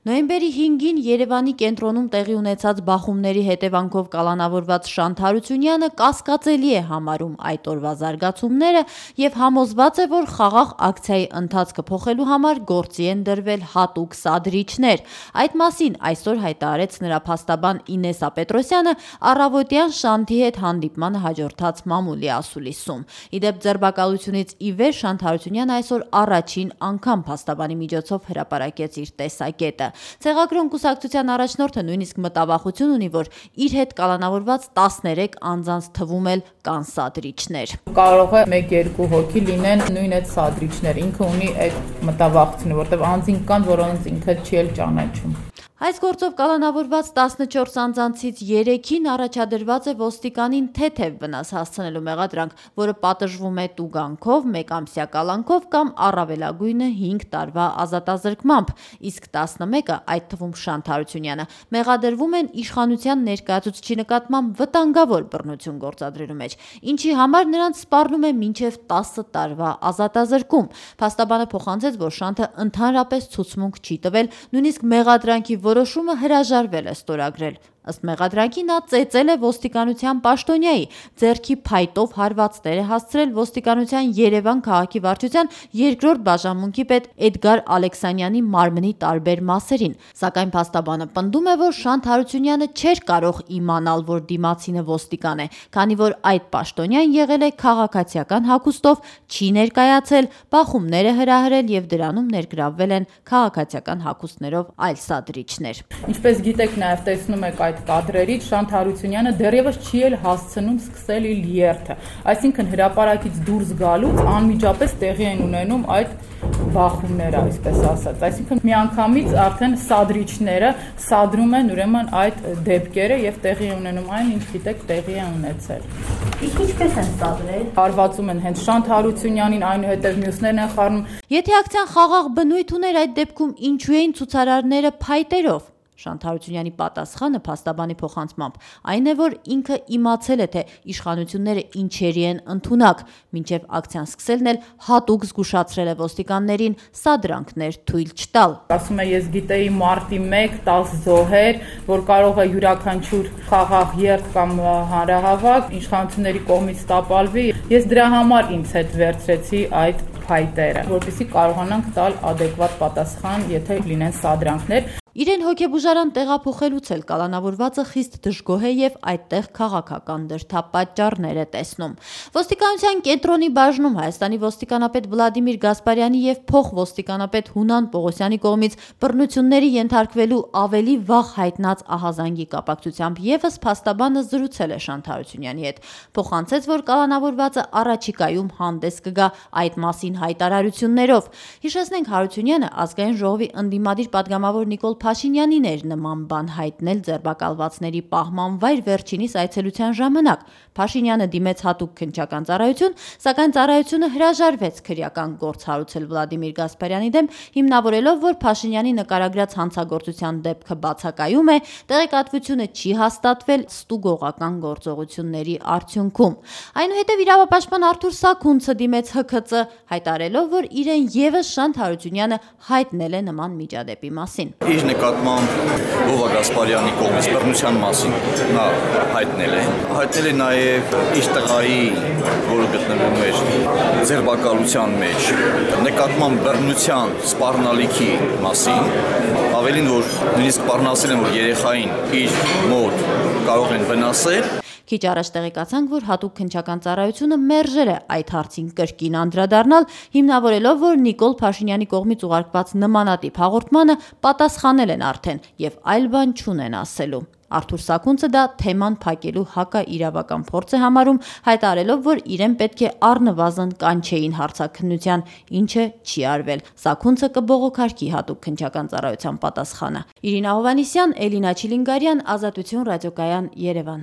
Նոյեմբերի 5-ին Երևանի կենտրոնում տեղի ունեցած բախումների հետևանքով կալանավորված Շանթ Հարությունյանը կասկածելի է համարում այդ օրվա զարգացումները եւ համոզված է, որ խաղաղ ակցիայի ընթացքը փոխելու համար գործի են դրվել հատուկ սադրիչներ։ Այդ մասին այսօր հայտարարեց նրա փաստաբան Ինեսա Պետրոսյանը առավոտյան Շանթի հետ հանդիպմանը հաջորդած մամուլի ասուլիսում։ Իդեպ ձերբակալությունից ի վեր Շանթ Հարությունյանը այսօր առաջին անգամ փաստաբանի միջոցով հրապարակեց իր տեսակետը։ Ցեղագրոն կուսակցության առաջնորդը նույնիսկ մտավախություն ունի, որ իր հետ կալանավորված 13 անձանց թվում էլ կան սադրիչներ։ Կարող է 1-2 հոգի լինեն նույն այդ սադրիչներ։ Ինքը ունի այդ մտավախությունը, որտեղ անձինք կան, որոնց ինքը չի էլ ճանաչում։ Այս գործով կալանավորված 14 անձանցից 3-ին առաջադրված է ոստիկանին թեթև վնաս հասցնելու մեղադրանք, որը պատժվում է տուգանքով, 1 ամսյա կալանքով կամ առավելագույնը 5 տարվա ազատազրկմամբ, իսկ 11-ը, այդ թվում Շանթ Հարությունյանը, մեղադրվում են իշխանության ներկայացուցչի նկատմամբ վտանգավոր բռնություն գործադրելու մեջ, ինչի համար նրանց սպառնում է մինչև 10 տարվա ազատազրկում։ Փաստաբանը փոխանցեց, որ Շանթը ընդհանրապես ցուցմունք չի տվել, նույնիսկ մեղադրանքի որոշումը հրաժարվել է ստորագրել։ Ըստ մեղադրանքի նա ծեծել է ոստիկանության պաշտոնյայի, ձեռքի փայտով հարվածներ է հասցրել ոստիկանության Երևան քաղաքի վարչության 2-րդ բաժանմունքի պետ Էդգար Ալեքսանյանի մարմնի տարբեր մասերին։ Սակայն փաստաբանը պնդում է, որ Շանթ Հարությունյանը չէր կարող իմանալ, որ դիմացինը ոստիկան է, քանի որ այդ պաշտոնյան եղել է քաղաքացիական հագուստով, չի ներկայացել, բախումներ է հրահրել եւ դրանում ներգրավվել են քաղաքացիական հագուստներով այլ սադրիչներ։ Ինչպես գիտեք, նաև տեսնում եք այդ կադրերից Շանթ Հարությունյանը դեռևս չի էլ հասցնում սկսել իր երթը, այսինքն հրապարակից դուրս գալուց անմիջապես տեղի են ունենում այդ բախումները, այսպես ասած, այսինքն միանգամից արդեն սադրիչները սադրում են ուրեմն այդ դեպքերը եւ տեղի ունենում այն, ինչ գիտեք, տեղի է ունեցել։ Իսկ ինչպես են սադրել։ Հարվածում են հենց Շանթ Հարությունյանին, այնուհետև մյուսներն են խառնում։ Եթե ակցիան խաղաղ բնույթ ուներ, այդ դեպքում ինչու էին ցուցարարները փայտերով։ Շանթ Հարությունյանի պատասխանը փաստաբանի փոխանցմամբ այն է, որ ինքը իմացել է, թե իշխանությունները ինչերի են ընդունակ, մինչև ակցիան սկսելն էլ հատուկ զգուշացրել է ոստիկաններին սադրանքներ թույլ չտալ։ Ասում է, ես գիտեի մարտի 1 10 զոհեր, որ կարող է յուրաքանչյուր խաղաղ երթ կամ հանրահավաք իշխանությունների կողմից տապալվի։ Ես դրա համար ինձ հետ վերցրեցի այդ փայտերը, որպեսզի կարողանանք տալ adekvat պատասխան, եթե լինեն սադրանքներ։ Իրեն հոգեբուժարան տեղափոխելուց էլ կալանավորվածը խիստ դժգոհ է եւ այդտեղ քաղաքական դրդապատճառներ է տեսնում։ Ոստիկանության կենտրոնի բաժնում Հայաստանի ոստիկանապետ Վլադիմիր Գասպարյանի եւ փոխոստիկանապետ Հունան Պողոսյանի կողմից բռնությունների ենթարկվելու ավելի վաղ հայտնած ահազանգի կապակցությամբ եւս փաստաբանը զրուցել է Շանթ Հարությունյանի հետ։ Փոխանցեց, որ կալանավորվածը առաջիկայում հանդես կգա այդ մասին հայտարարություններով։ Հիշեցնենք, Հարությունյանը ազգային ժողովի ընդդիմադիր պատգամավոր Նիկոլ Փաշինյանին էր նման բան հայտնել ձերբակալվածների պահման վայր վերջինիս այցելության ժամանակ։ Փաշինյանը դիմեց հատուկ քննչական ծառայություն, սակայն ծառայությունը հրաժարվեց քրեական գործ հարուցել Վլադիմիր Գասպարյանի դեմ, հիմնավորելով, որ Փաշինյանի նկարագրած հանցագործության դեպքը բացակայում է, տեղեկատվությունը չի հաստատվել ստուգողական գործողությունների արդյունքում։ Այնուհետև իրավապաշտպան Արթուր Սաքունցը դիմեց ՀՔԾ, հայտարարելով, որ իրեն եւս Շանթ Հարությունյանը հայտնել է նման միջադեպի մասին։ Իր նկատմամբ Վովա Գասպարյանի կողմից բռնության մասին նա հայտնել է նաև իր տղայի, որը գտնվում էր ձերբակալության մեջ, նկատմամբ բռնության սպառնալիքի մասին, ավելին, որ նույնիսկ սպառնացել են, որ երեխային իր մոտ կարող են վնասել։ Քիչ առաջ տեղեկացանք, որ հատուկ քննչական ծառայությունը մերժել է այդ հարցին կրկին անդրադառնալ, հիմնավորելով, որ Նիկոլ Փաշինյանի կողմից ուղարկված նմանատիպ հաղորդմանը պատասխանել են արդեն եւ այլ բան չունեն ասելու։ Արթուր Սաքունցը դա թեման փակելու հակաիրավական փորձ է համարում, հայտարարելով, որ իրեն պետք է առնվազն կանչեին հարցաքննության, ինչը չի արվել։ Սաքունցը կբողոքարկի հատուկ քննչական ծառայության պատասխանը։ Իրինա Հովհաննիսյան, Էլինա Չիլինգարյան, Ազատություն ռադիոկայան, Երևան։